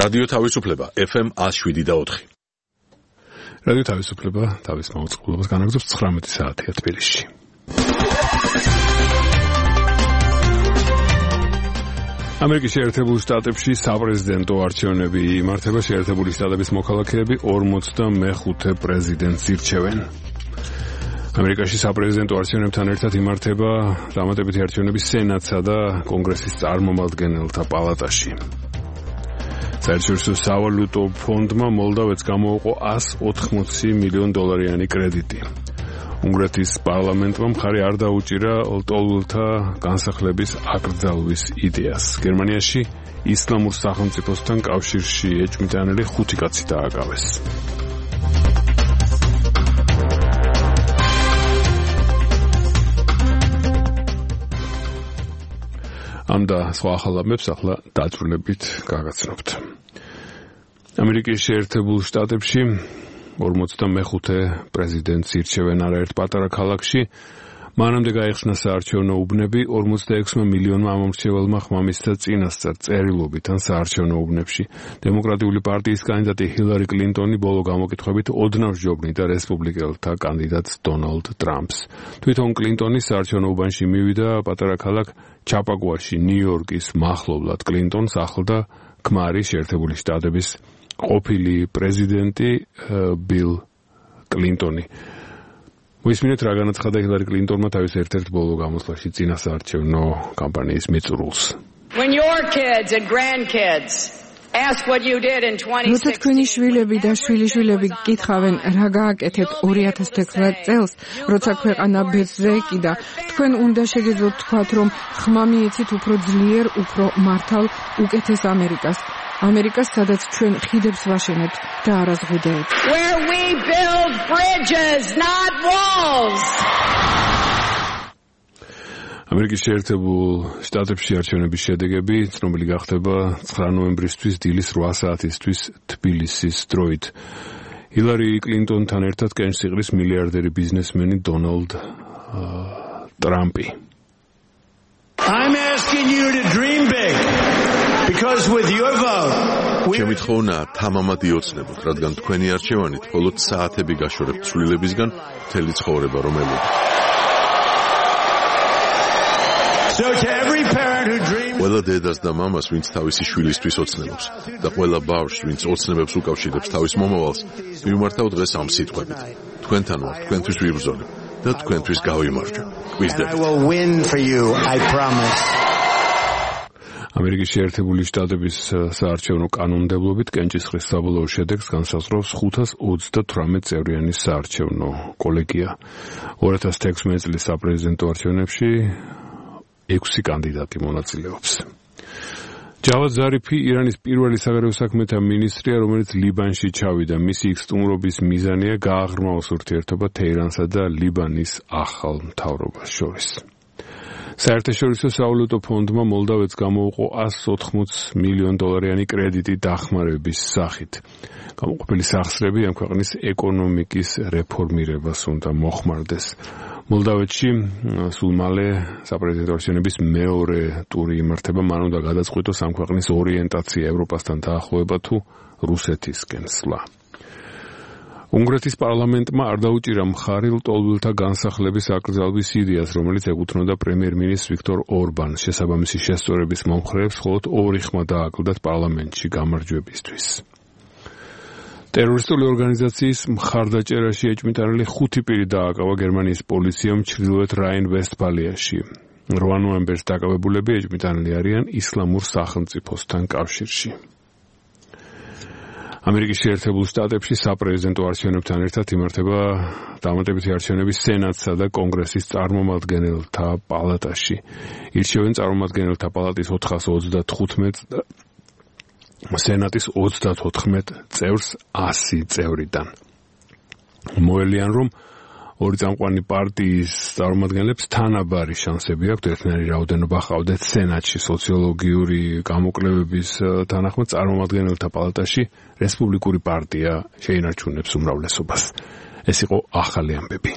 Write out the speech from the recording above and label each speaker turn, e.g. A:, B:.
A: რადიო თავისუფლება FM 107.4.
B: რადიო თავისუფლება თავის მაუწყებლობას განაგრძობს 19 საათია თბილისში. ამერიკის შეერთებულ შტატებში საპრეზიდენტო არჩევნები იმართება. შეერთებული შტატების მოქალაქეები 45 პრეზიდენტს ირჩევენ. ამერიკაში საპრეზიდენტო არჩევნებთან ერთად იმართება დამატებითი არჩევნები სენატსა და კონგრესის წარმომადგენელთა პალატაში. საერთაშორისო სავალუტო ფონდმა მოლდავეთს გამოუყო $180 მილიონი კრედიტი. უნგრეთის პარლამენტმა მხარი არ დაუჭირა ლტოლვილთა განსახლების აკრძალვის იდეას. გერმანიაში ისლამურ სახელმწიფოსთან კავშირში ეჭვმიტანილი 5 კაცი დააკავეს. ამ და სხვა ახალამებს ახლა დაწვრილებით გაგაცნობთ. ამერიკის შეერთებულ შტატებში 45 პრეზიდენტს ირჩევენ არაერთ პატარა ქალაქში. მანამდე გაიხსნა საარჩევნო უბნები 46 მილიონმა ამომრჩეველმა ხმამისთა წინასწარ წერილობით ან საარჩევნო უბნებში. დემოკრატიული პარტიის კანდიდატი ჰილარი კლინტონი ბოლო გამოკითხვებით ოდნავ სჯობნიდა რესპუბლიკელთა კანდიდატს დონალდ ტრამპს. თვითონ კლინტონი საარჩევნო უბანში მივიდა პატარა ქალაქ ჩაპაგუაში, ნიუ-იორკის მახლობლად. კლინტონს ახლდა ქმარი შეერთებული შტატების ყოფილი პრეზიდენტი ბილ კლინტონი. ვისმინეთ რა განაცხადა ჰილარი კლინტონმა თავის ერთ-ერთ ბოლო გამოსვლაში წინა საარჩევნო კამპანიის მიწურულს.
C: როცა თქვენი შვილები და შვილიშვილები გკითხავენ რა გააკეთეთ 2019 წელს, როცა ქვეყანა ბედზე ეკიდა, თქვენ უნდა შეგეძლოთ თქვათ, რომ ხმა მიეცით უფრო ძლიერ, უფრო მართალ, უკეთეს ამერიკას. ამერიკას, სადაც ჩვენ ხიდებს ვაშენებთ და არა ზღუდეებს.
D: Where we build bridges, not walls.
B: ამერიკის შეერთებულ შტატებში არჩევნების შედეგები ცნობილი გახდება 9 ნოემბრისთვის დილის 8 საათისთვის თბილისის დროით. ჰილარი კლინტონთან ერთად კენჭს იყრის მილიარდერი ბიზნესმენი დონალდ ტრამპი.
E: I'm asking you to dream big because with your vote
A: ჩემი თხოვნა თამამად იოცნებოთ, რადგან თქვენი არჩევანით მხოლოდ საათები გაშორებთ ცვლილებისგან მთელი ცხოვრება რომელია.
E: So to every parent who dreams
A: ყველა დედას და მამას, ვინც თავისი შვილისთვის ოცნებობს და ყველა ბავშვს, ვინც ოცნებებს უკავშირებს თავის მომავალს, მივმართავ დღეს ამ სიტყვებით. თქვენთან ვარ, თქვენთვის ვიბრძოლებ და თქვენთვის გავიმარჯვებ.
E: I will win for you, I promise.
B: ამერიკის შეერთებული შტატების საარჩევნო კანონმდებლობით კენჭისყრის საბოლოო შედეგს განსაზღვრავს 528 წევრიანი საარჩევნო კოლეგია. 2016 წლის საპრეზიდენტო არჩევნებში 6 კანდიდატი მონაწილეობს. ჯავად ზარიფი իրანის პირველი საგარეო საქმეთა მინისტრია, რომელიც ლიბანში ჩავიდა. მისი სტუმრობის მიზანია გააღრმაოს ურთიერთობა თეირანსა და ლიბანის ახალ მთავრობას შორის. საერთაშორისო სავალუტო ფონდმა მოლდავეთს გამოუყო $180 მილიონი კრედიტი დახმარების სახით. გამოყოფილი სახსრები ამ ქვეყნის ეკონომიკის რეფორმირებას უნდა მოხმარდეს. მოლდავეთში სულ მალე საპრეზიდენტო არჩევნების მეორე ტური იმართება. მან უნდა გადაწყვიტოს ამ ქვეყნის ორიენტაცია ევროპასთან დაახლოება თუ რუსეთისკენ სვლა. უნგრეთის პარლამენტმა არ დაუჭირა მხარი ლტოლვილთა განსახლების აკრძალვის იდეას, რომელიც ეკუთვნოდა პრემიერ-მინისტრ ვიქტორ ორბანს. შესაბამისი შესწორების მომხრეებს მხოლოდ 2 ხმა დააკლდათ პარლამენტში გამარჯვებისთვის. ტერორისტული ორგანიზაციის მხარდაჭერაში ეჭვმიტანილი 5 პირი დააკავა გერმანიის პოლიციამ ჩრდილოეთ რაინ-ვესტფალიაში. 8 ნოემბერს დაკავებულები ეჭვმიტანილი არიან ისლამურ სახელმწიფოსთან კავშირში. ამერიკის შეერთებულ შტატებში საპრეზიდენტო არჩევნებთან ერთად იმართება დამატებითი არჩევნები სენატსა და კონგრესის წარმომადგენელთა პალატაში. ირჩევენ წარმომადგენელთა პალატის 435 და სენატის 34 წევრს 100 წევრიდან. მოელიან, რომ ორი წამყვანი პარტიის წარმომადგენლებს თანაბარი შანსები აქვთ ერთნაირი რაოდენობა ჰყავდეთ სენატში. სოციოლოგიური გამოკვლევების თანახმად წარმომადგენელთა პალატაში რესპუბლიკური პარტია შეინარჩუნებს უმრავლესობას. ეს იყო ახალი ამბები.